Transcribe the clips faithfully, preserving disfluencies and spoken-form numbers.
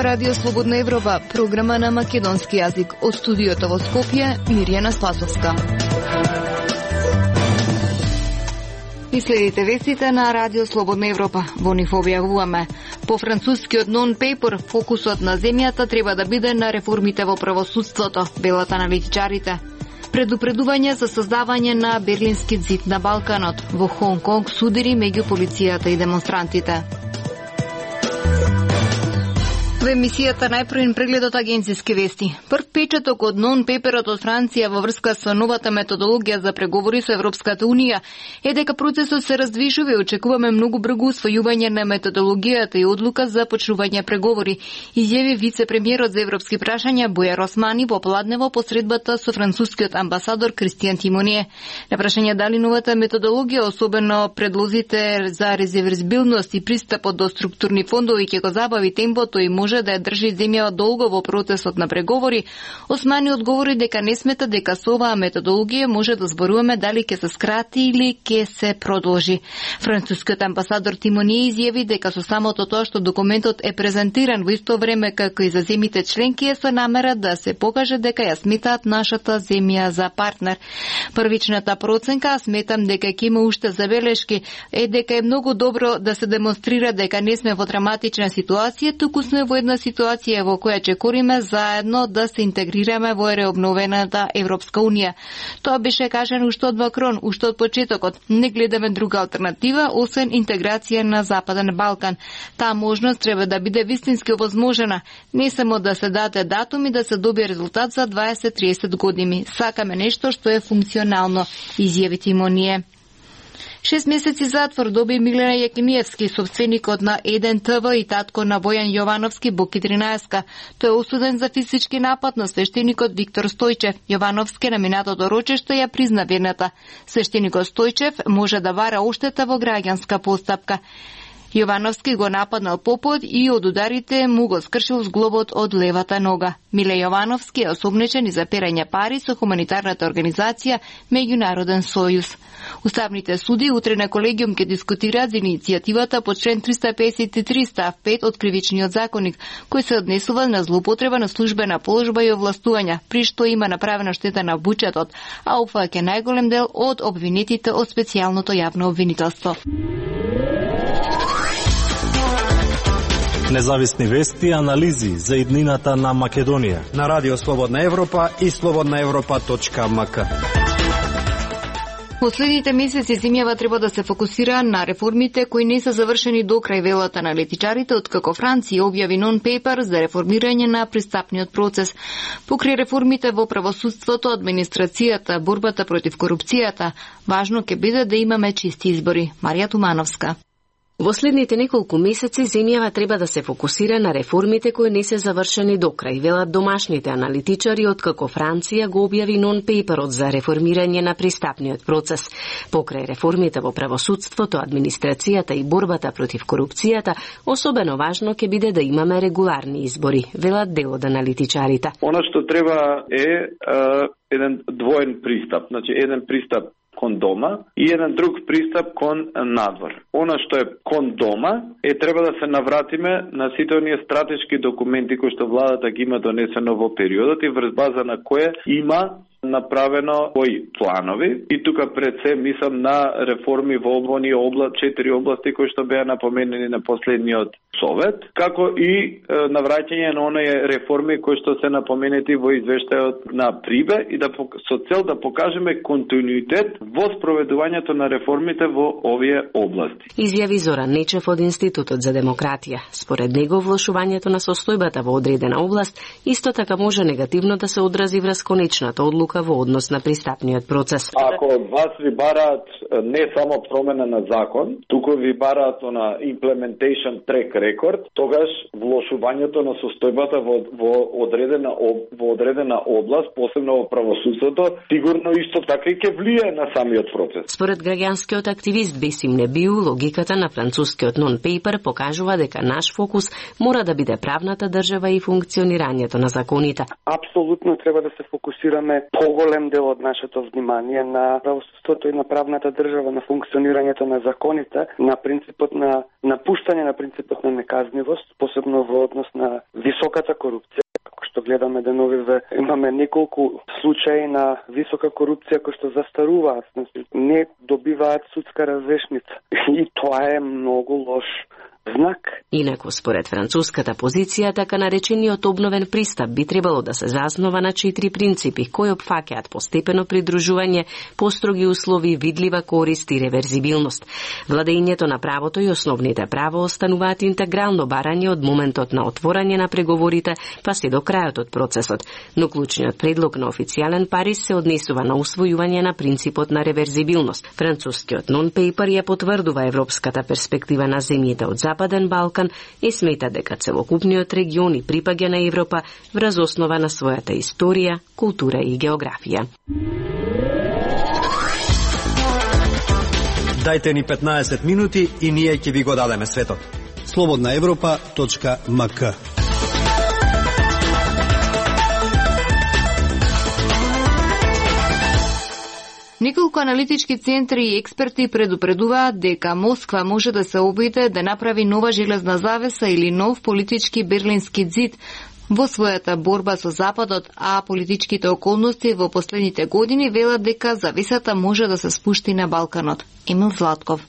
Ова Радио Слободна Европа, програма на македонски јазик. Од студиото во Скопје, Мирјана Спасовска. И следите вестите на Радио Слободна Европа. Во нив објавуваме: по францускиот нон-пейпер, фокусот на земјата треба да биде на реформите во правосудството, велат аналитичарите. Предупредување за создавање на Берлински зид на Балканот. Во Хонг Конг судири меѓу полицијата и демонстрантите. Во емисијата најпрвен преглед од агенцијски вести. Прв печаток од нон-пеперот од Франција во врска со новата методологија за преговори со Европската Унија е дека процесот се раздвижува и очекуваме многу брзо усвојување на методологијата и одлука за почнување преговори, изјави вице-премиерот за европски прашања Бојар Османи во Пладнево по средбата со францускиот амбасадор Кристијан Тимоние. На прашање дали новата методологија, особено предлозите за резервизбилност и пристапот до структурни фондови ќе го забави темпото и може да ја држи земјава долго во процесот на преговори, Османи одговори дека не смета дека со оваа методологија може да зборуваме дали ќе се скрати или ќе се продолжи. Францускиот амбасадор Тимоние изјави дека со самото тоа што документот е презентиран во исто време како и за земјите членки е со намера да се покаже дека ја сметаат нашата земја за партнер. Првичната проценка, сметам дека ќе има уште забелешки, е дека е многу добро да се демонстрира дека не сме во драматична ситуација, туку сме во една ситуација во која чекориме заедно да се интегрираме во реобновената Европска Унија. Тоа беше кажано уште од Макрон, уште од почетокот. Не гледаме друга алтернатива освен интеграција на Западен Балкан. Таа можност треба да биде вистински овозможена, не само да се даде датум и да се добие резултат за дваесет до триесет години. Сакаме нешто што е функционално, изјави Тимоние. Шест месеци затвор доби Милена Јакимиевски, собственикот на еден те ве и татко на Бојан Јовановски, Боки тринаесет. Тој е осуден за физички напад на свештеникот Виктор Стојчев. Јовановски на минатото рочеште ја призна вината. Свештеникот Стојчев може да бара оштета во граѓанска постапка. Јовановски го нападнал попот и од ударите му го скршил зглобот од левата нога. Миле Јовановски е осомничен и за перање пари со хуманитарната организација Меѓународен сојуз. Уставните суди утре на колегиум ќе дискутираат за иницијативата по член триста песет и три став пет од Кривичниот законник, кој се однесува на злоупотреба на службена положба и овластувања, при што има направена штета на буџетот, а опфаќа најголем дел од обвинетите од специјалното јавно обвинителство. Независни вести и анализи за иднината на Македонија на Радио Слободна Европа и слободна европа точка ем ка. Во следните месеци земјава треба да се фокусира на реформите кои не се завршени до крај, велат аналитичарите, откако Франција објави нон-пейпер за реформирање на пристапниот процес. Покрај реформите во правосудството, администрацијата, борбата против корупцијата, важно ќе биде да имаме чисти избори. Марија Тумановска. Во следните неколку месеци земјава треба да се фокусира на реформите кои не се завршени до крај, велат домашните аналитичари, откако Франција го објави нон-пейперот за реформирање на пристапниот процес. Покрај реформите во правосудството, администрацијата и борбата против корупцијата, особено важно ќе биде да имаме регуларни избори, велат дел од аналитичарите. Она што треба е, е еден двоен пристап, значи еден пристап кон дома и еден друг пристап кон надвор. Она што е кон дома е треба да се навратиме на сите оние стратешки документи кои што владата ги има донесено во периодот и врз база на кое има направено кои планови и тука пред се мислам на реформи во оние обла, четири области кои што беа напоменени на последниот совет, како и е, навраќање на оние реформи кои што се напоменети во извештајот на Прибе и да со цел да покажеме континуитет во спроведувањето на реформите во овие области. Изјави Зоран Нечев од Институтот за демократија. Според него влошувањето на состојбата во одредена област исто така може негативно да се одрази врз конечната одлука во однос на пристапниот процес. Ако од вас ви бараат не само промена на закон, туку ви бараат на implementation track record, тогаш влошувањето на состојбата во, во одредена во одредена област, посебно во правосудството, сигурно исто така и ќе влијае на самиот процес. Според граѓанскиот активист Бесим Небиу, логиката на францускиот нон-пейпер покажува дека наш фокус мора да биде правната држава и функционирањето на законите. Апсолутно треба да се фокусираме поголем дел од нашето внимание на правосудството и на правната држава, на функционирањето на законите, на принципот на напуштање на принципот на неказнивост, посебно во однос на високата корупција. Како што гледаме деновиве, имаме неколку случаи на висока корупција кои што застаруваат, не добиваат судска разрешница. И тоа е многу лош знак. Инаку, според француската позиција, така наречениот обновен пристап би требало да се заснова на четири принципи кои опфаќаат постепено придружување, построги услови, видлива корист и реверзибилност. Владењето на правото и основните права остануваат интегрално барање од моментот на отворање на преговорите па се до крајот од процесот, но клучниот предлог на официјален Париз се однесува на усвојување на принципот на реверзибилност. Францускиот нон-пейпер ја потврдува европската перспектива на земјите од Западен Балкан и смета дека целокупниот регион и припаѓа на Европа врз основа на својата историја, култура и географија. Дајте ни петнаесет минути и ние ќе ви го дадеме светот. слободна европа точка ем ка. Неколку аналитички центри и експерти предупредуваат дека Москва може да се обиде да направи нова железна завеса или нов политички берлински ѕид во својата борба со Западот, а политичките околности во последните години велат дека завесата може да се спушти на Балканот. Емил Златков.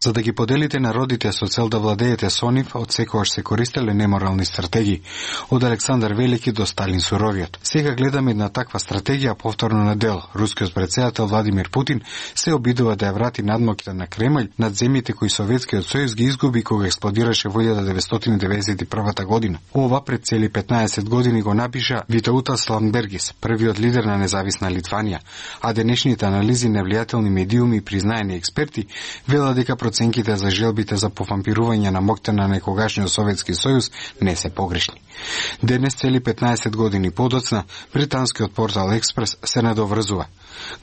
За да ги поделите народите со цел да владеете со нив, од секогаш се користеле неморални стратегии, од Александар Велики до Сталин Суровиот. Сега гледаме една таква стратегија повторно на дел. Рускиот претседател Владимир Путин се обидува да ја врати надмоките на Кремљ над земјите кои Советскиот сојуз ги изгуби кога експлодираше во илјада деветстотини деветдесет и прва година. Ова пред цели петнаесет години го напиша Витаутас Ландбергис, првиот лидер на независна Литванија, а денешните анализи на влијателни медиуми и признаени експерти велат дека проценките за желбите за повампирување на моќта на некогашниот Советски сојуз не се погрешни. Денес, цели петнаесет години подоцна, британскиот портал Експрес се надоврзува.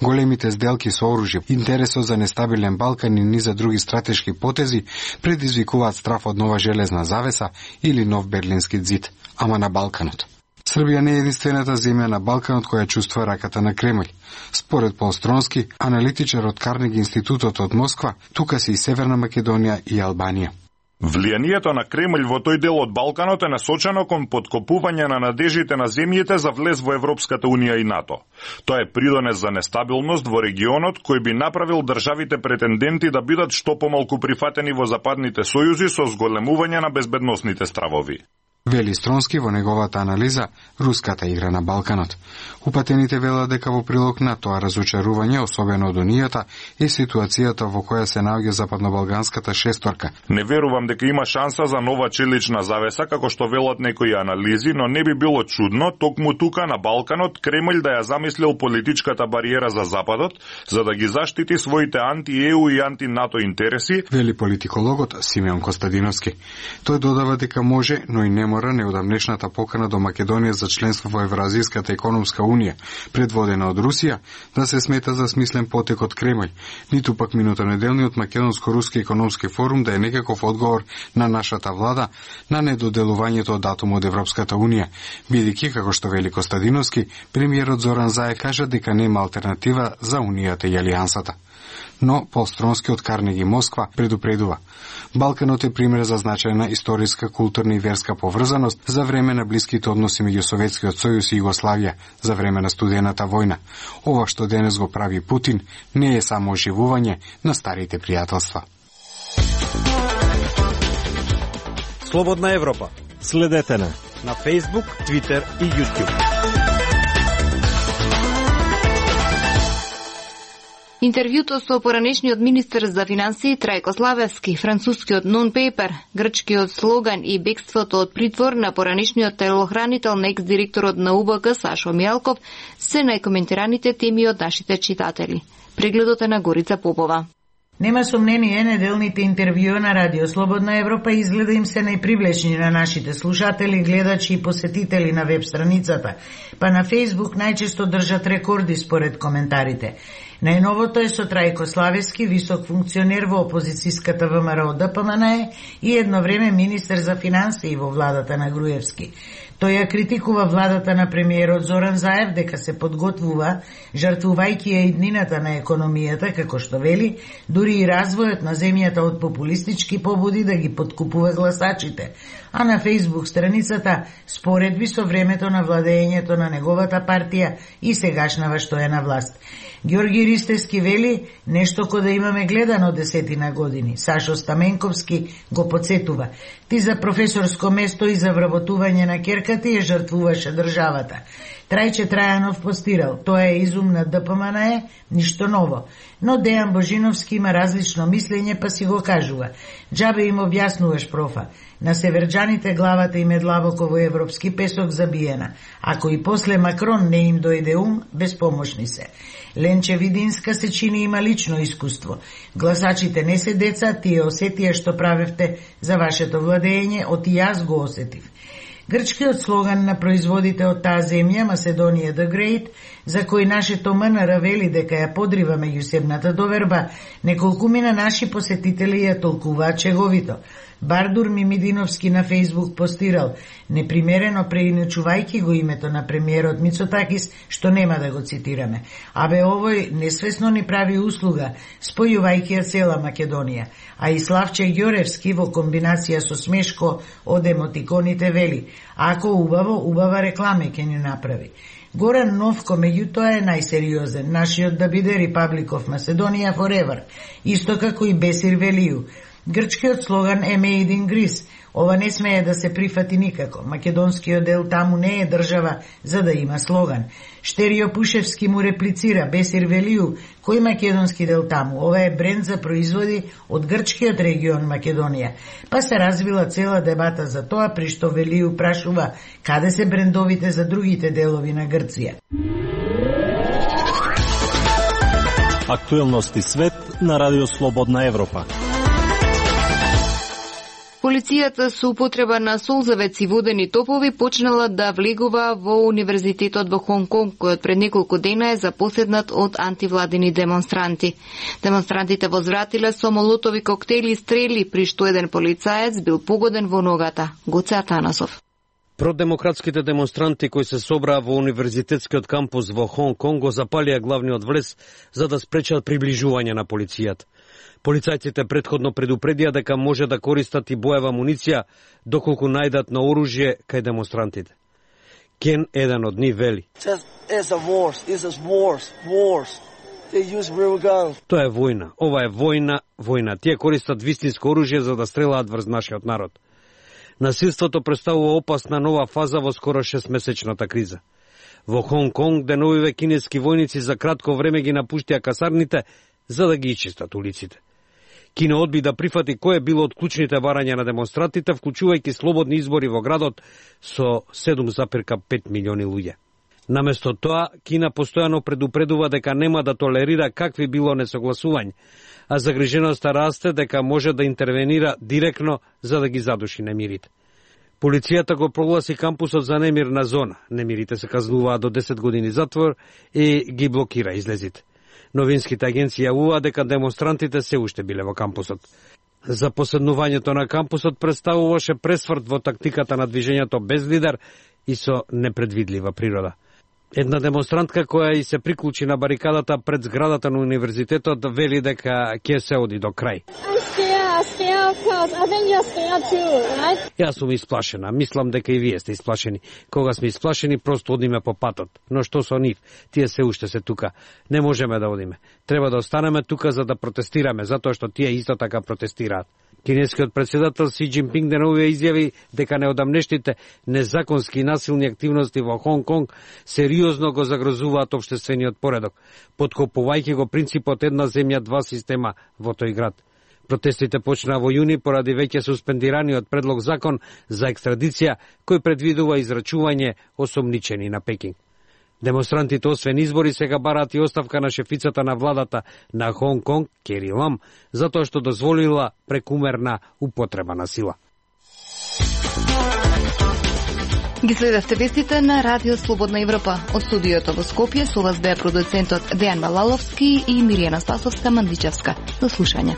Големите сделки со оружје, интересот за нестабилен Балкан и низа други стратешки потези предизвикуваат страф од нова железна завеса или нов берлински ѕид, ама на Балканот. Србија не е единствената земја на Балканот која чувствува раката на Кремљ. Според Пол Стронски, аналитичар од Карнеги институтот од Москва, тука се и Северна Македонија и Албанија. Влијанието на Кремљ во тој дел од Балканот е насочено кон подкопување на надежите на земјите за влез во Европската унија и НАТО. Тоа е придонес за нестабилност во регионот кој би направил државите претенденти да бидат што помалку прифатени во западните сојузи со зголемување на безбедносните стравови. Вели Стронски во неговата анализа руската игра на Балканот. Упатените велат дека во прилог на тоа разочарување, особено од Унијата, е ситуацијата во која се наоѓа западнобалганската шесторка. Не верувам дека има шанса за нова челична завеса, како што велат некои анализи, но не би било чудно токму тука на Балканот Кремљ да ја замислил политичката бариера за Западот, за да ги заштити своите анти-Е У и анти-НАТО интереси, вели политикологот Симеон Костадиновски. Тој додава дека може, но и не може неодамнешната покана до Македонија за членство во Евразиската економска унија, предводена од Русија, да се смета за смислен потек од Кремљ, ниту пак минутонеделниот македонско-руски економски форум да е некаков одговор на нашата влада на недоделувањето од датум од Европската унија, бидејќи, како што вели Костадиновски, премиерот Зоран Заев кажа дека нема алтернатива за унијата и алијансата. Но Пол Стронски од Карнеги Москва предупредува. Балканот е пример за значајна историска, културна и верска поврзаност за време на блиските односи меѓу Советскиот сојуз и Југославија, за време на студената војна. Ова што денес го прави Путин не е само оживување на старите пријателства. Слободна Европа. Следете на на Facebook, Twitter и YouTube. Интервјуто со поранешниот министер за финансии Трајко Славевски, францускиот нон-пейпер, грчкиот слоган и бегството од притвор на поранешниот телохранител на екс-директорот на У Б К Сашо Мијалков се најкоментираните теми од нашите читатели. Прегледот е на Горица Попова. Нема сомнение, неделните интервјуа на Радио Слободна Европа изгледа им се најпривлечни на нашите слушатели, гледачи и посетители на веб страницата, па на Фејсбук најчесто држат рекорди според коментарите. Најновото е со Трајко Славевски, висок функционер во опозицијската ВМРО Д П М Н Е и едно време министер за финансии во владата на Груевски. Тој ја критикува владата на премиерот Зоран Заев дека се подготвува, жртвувајќи ја иднината на економијата, како што вели, дури и развојот на земјата од популистички побуди да ги подкупува гласачите, а на Фејсбук страницата споредби со времето на владењето на неговата партија и сегашнава што е на власт. Ѓорги Ристевски вели нешто кој да имаме гледано десетина години. Сашо Стаменковски го подсетува: ти за професорско место и за вработување на керката ја жртвуваше државата. Трајче Трајанов постирал: тоа е изум на Д П М Н Е, ништо ново. Но Дејан Божиновски има различно мислење, па си го кажува: џабе им објаснуваш, профа. На северџаните главата им е длабоко во европски песок забиена. Ако и после Макрон не им дојде ум, безпомошни се. Ленче Видинска се чини има лично искуство. Гласачите не се деца, тие осетија што правевте за вашето владење, оти јас го осетив. Грчкиот слоган на производите од таа земја, Macedónia the Great, за кој нашето М Н Р вели дека ја подрива меѓусебната доверба, неколкумина наши посетители ја толкуваат чеговито. Бардур Мимидиновски на Фејсбук постирал: непримерено преиначувајќи го името на премиерот Мицотакис, што нема да го цитираме. Абе овој несвесно ни прави услуга, спојувајќи ја цела Македонија. А и Славче Ѓоревски во комбинација со смешко од емотиконите вели: ако убаво, убава рекламе ќе ни направи. Горан Новко меѓутоа е најсериозен, нашиот да биде Republic of Macedonia forever, исто како и Бесир Велију. Грчкиот слоган е Made in Greece. Ова не смее да се прифати никако. Македонскиот дел таму не е држава за да има слоган. Штерио Пушевски му реплицира: Бесир Велију, кој македонски дел таму? Ова е бренд за производи од грчкиот регион Македонија. Па се развила цела дебата за тоа, при што Велију прашува каде се брендовите за другите делови на Грција. Актуелности свет на Радио Слободна Европа. Полицијата со употреба на солзавец и водени топови почнала да влегува во Универзитетот во Хонг Конг, кој пред неколку дена е запоседнат од антивладини демонстранти. Демонстрантите возвратиле со молотови коктели и стрели, при што еден полицаец бил погоден во ногата. Гоце Атанасов. Продемократските демонстранти кои се собраа во универзитетскиот кампус во Хонг Конг го запалија главниот влез за да спречат приближување на полицијата. Полицајците претходно предупредија дека може да користат и боева муниција доколку најдат на оружје кај демонстрантите. Кен, еден од нив, вели: тоа е војна, ова е војна, војна. Тие користат вистинско оружје за да стрелаат врз нашиот народ. Насилството представува опасна нова фаза во скоро шестмесечната криза. Во Хонг Конг деновиве кинески војници за кратко време ги напуштија касарните за да ги ичистат улиците. Кина одби да прифати кој е било од клучните барања на демонстрантите, вклучувајќи слободни избори во градот со седум запирка пет милиони луѓе. Наместо тоа, Кина постојано предупредува дека нема да толерира какви било несогласување, а загриженоста расте дека може да интервенира директно за да ги задуши немирите. Полицијата го прогласи кампусот за немирна зона. Немирите се казнуваат до десет години затвор и ги блокира излезите. Новинските агенции јавуваат дека демонстрантите се уште биле во кампусот. Запоседнувањето на кампусот представуваше пресврт во тактиката на движењето без лидер и со непредвидлива природа. Една демонстрантка која и се приклучи на барикадата пред зградата на универзитетот вели дека ќе се оди до крај. Јас сум исплашена, мислам дека и вие сте исплашени. Кога сме исплашени, просто одиме по патот. Но што со нив? Тие се уште се тука. Не можеме да одиме. Треба да останеме тука за да протестираме, затоа што тие исто така протестираат. Кинескиот председател Си Џинпинг деновиве изјави дека неодамнешните незаконски и насилни активности во Хонг Конг сериозно го загрозуваат општествениот поредок, подкопувајќи го принципот една земја, два система во тој град. Протестите почнаа во јуни поради веќе суспендираниот предлог закон за екстрадиција кој предвидува израчување осомничени на Пекинг. Демонстрантите освен избори сега бараат и оставка на шефицата на владата на Хонг Конг, Кери Лам, затоа што дозволила прекумерна употреба на сила. Ги следевте вестите на Радио Слободна Европа. Од студиото во Скопје со вас беа продуцентот Дејан Балаловски и Миријана Спасовска-Мандичевска. До слушање.